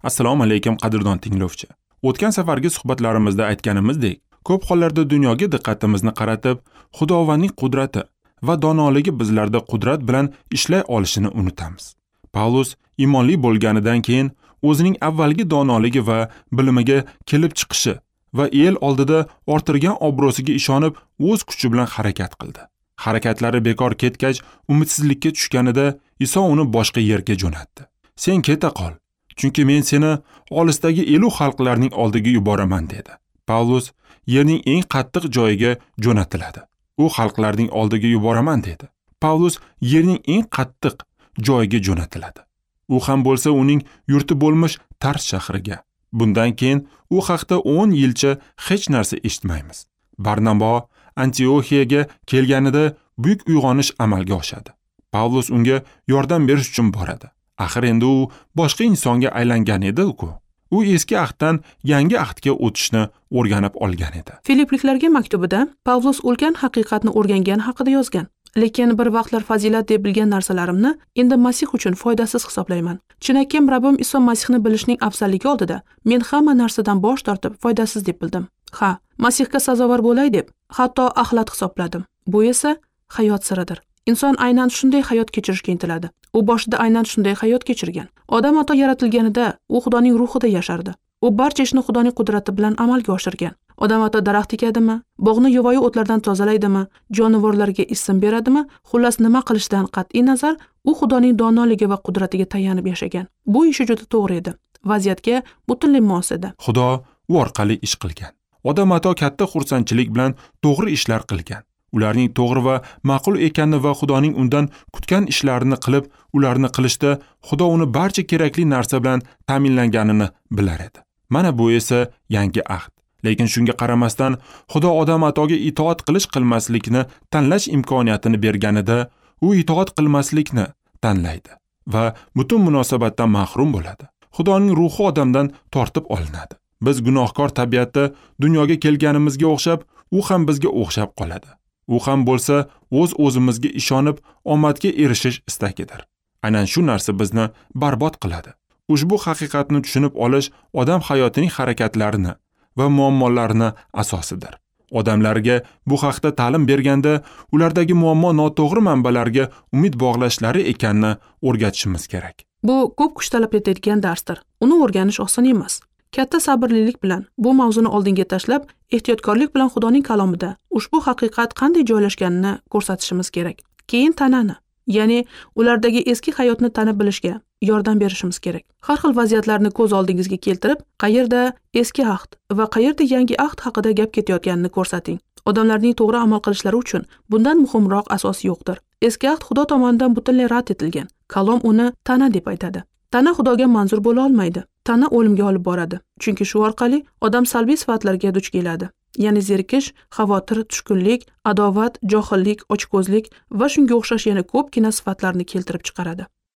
Assalomu alaykum qadrdon tinglovchi. O'tgan safargi suhbatlarimizda aytganimizdek, ko'p hollarda dunyoga diqqatimizni qaratib, Xudovandning qudrati va donoligi bizlarda qudrat bilan ishlay olishini unutamiz. Pavlus iymonli bo'lganidan keyin o'zining avvalgi donoligi va bilimiga kelib chiqishi va el oldida orttirgan obro'siga ishonib, o'z kuchi bilan harakat qildi. Harakatlari bekor ketgach, umidsizlikka tushganida Iso uni boshqa yerga jo'natdi. Sen keta qol, chunki men seni olisdagi elu xalqlarning oldiga yuboraman dedi. Pavlus yerning eng qattiq joyiga jo'natiladi. U xalqlarning oldiga yuboraman dedi. Pavlus yerning eng qattiq joyiga jo'natiladi. U ham bo'lsa uning yurti bo'lmish Tars shahriga. Bundan keyin u haqda 10 yilcha hech narsa eshitmaymiz. Barnabo Antioxiyaga kelganida buyuk uyg'onish amalga oshadi. Pavlus unga yordam berish uchun boradi. Axir endi u boshqa insonga aylangan edi-ku. U eski ahddan yangi ahdga o'tishni o'rganib olgan edi. Filipliklarga maktubida Pavlus ulkan haqiqatni o'rgangan haqida yozgan. Lekin bir vaqtlar fazilat deb bilgan narsalarimni endi Masih uchun foydasiz hisoblayman. Chinakim Rabbim Iso Masihni bilishning afzalligi oldida men hamma narsadan bosh tortib foydasiz deb bildim. Ha, Masihga sazovor bo'lay deb hatto axlat hisobladim. Bu esa hayot siridir. Inson aynan shunday hayot kechirishga intiladi. U boshida aynan shunday hayot kechirgan. Odam ota yaratilganida u Xudoning ruhida yashardi. U barcha ishni Xudoning qudrati bilan amalga oshirgan. Odam ota daraxt ekadimi, bog'ni yovvoyi o'tlardan tozalaydimi, jonivorlarga ism beradimi, xullas nima qilishidan qat'iy nazar, u Xudoning donoligi va qudratiga tayanib yashagan. Bu ishi juda to'g'ri edi. Vaziyatga butunlay mos edi. Xudo u orqali ish qilgan. Odam ota katta xursandchilik bilan to'g'ri ishlar qilgan. Ularning to'g'ri va ma'qul ekanini va Xudoning undan kutgan ishlarini qilib, ularni qilishda Xudo uni barcha kerakli narsa bilan ta'minlanganini bilar edi. Mana bu esa yangi ahd. Lekin shunga qaramasdan Xudo odam atoga itoat qilish qilmaslikni tanlash imkoniyatini berganida, u itoat qilmaslikni tanlaydi va butun munosabatdan mahrum bo'ladi. Xudoning ruhi odamdan tortib olinadi. Biz gunohkor tabiatda dunyoga kelganimizga o'xshab, u ham bizga o'xshab qoladi. U ham bo'lsa o'z-o'zimizga ishonib, omadga erishish istagidir. Aynan shu narsa bizni barbod qiladi. Ushbu haqiqatni tushunib olish odam hayotining harakatlarini va muammolarini asosidir. Odamlarga bu haqda ta'lim berganda ulardagi muammo noto'g'ri manbalarga umid bog'lashlari ekanini o'rgatishimiz kerak. Bu ko'p kuch talab etadigan darsdir. Uni o'rganish oson emas. Katta sabrlilik bilan bu mavzuni oldinga tashlab, ehtiyotkorlik bilan Xudoning kalomida ushbu haqiqat qanday joylashganini ko'rsatishimiz kerak. Keyin tanani, ya'ni ulardagi eski hayotni tanib bilishga yordam berishimiz kerak. Har xil vaziyatlarni ko'z oldingizga keltirib, qayerda eski ahd va qayerda yangi ahd haqida gap ketayotganini ko'rsating. Odamlarning to'g'ri amal qilishlari uchun bundan muhimroq asos yo'qdir. Eski ahd Xudo tomonidan butunlay rad etilgan. Kalom uni tana deb aytadi. Tana Xudoga manzur bo'la olmaydi. Tana o'limga olib boradi. Chunki shu orqali odam salbiy sifatlarga duch keladi. Ya'ni zerikish, xavotir, tushkunlik, adovat, johillik, ochko'zlik va shunga o'xshash yana ko'pgina sifatlarni keltirib chiqaradi.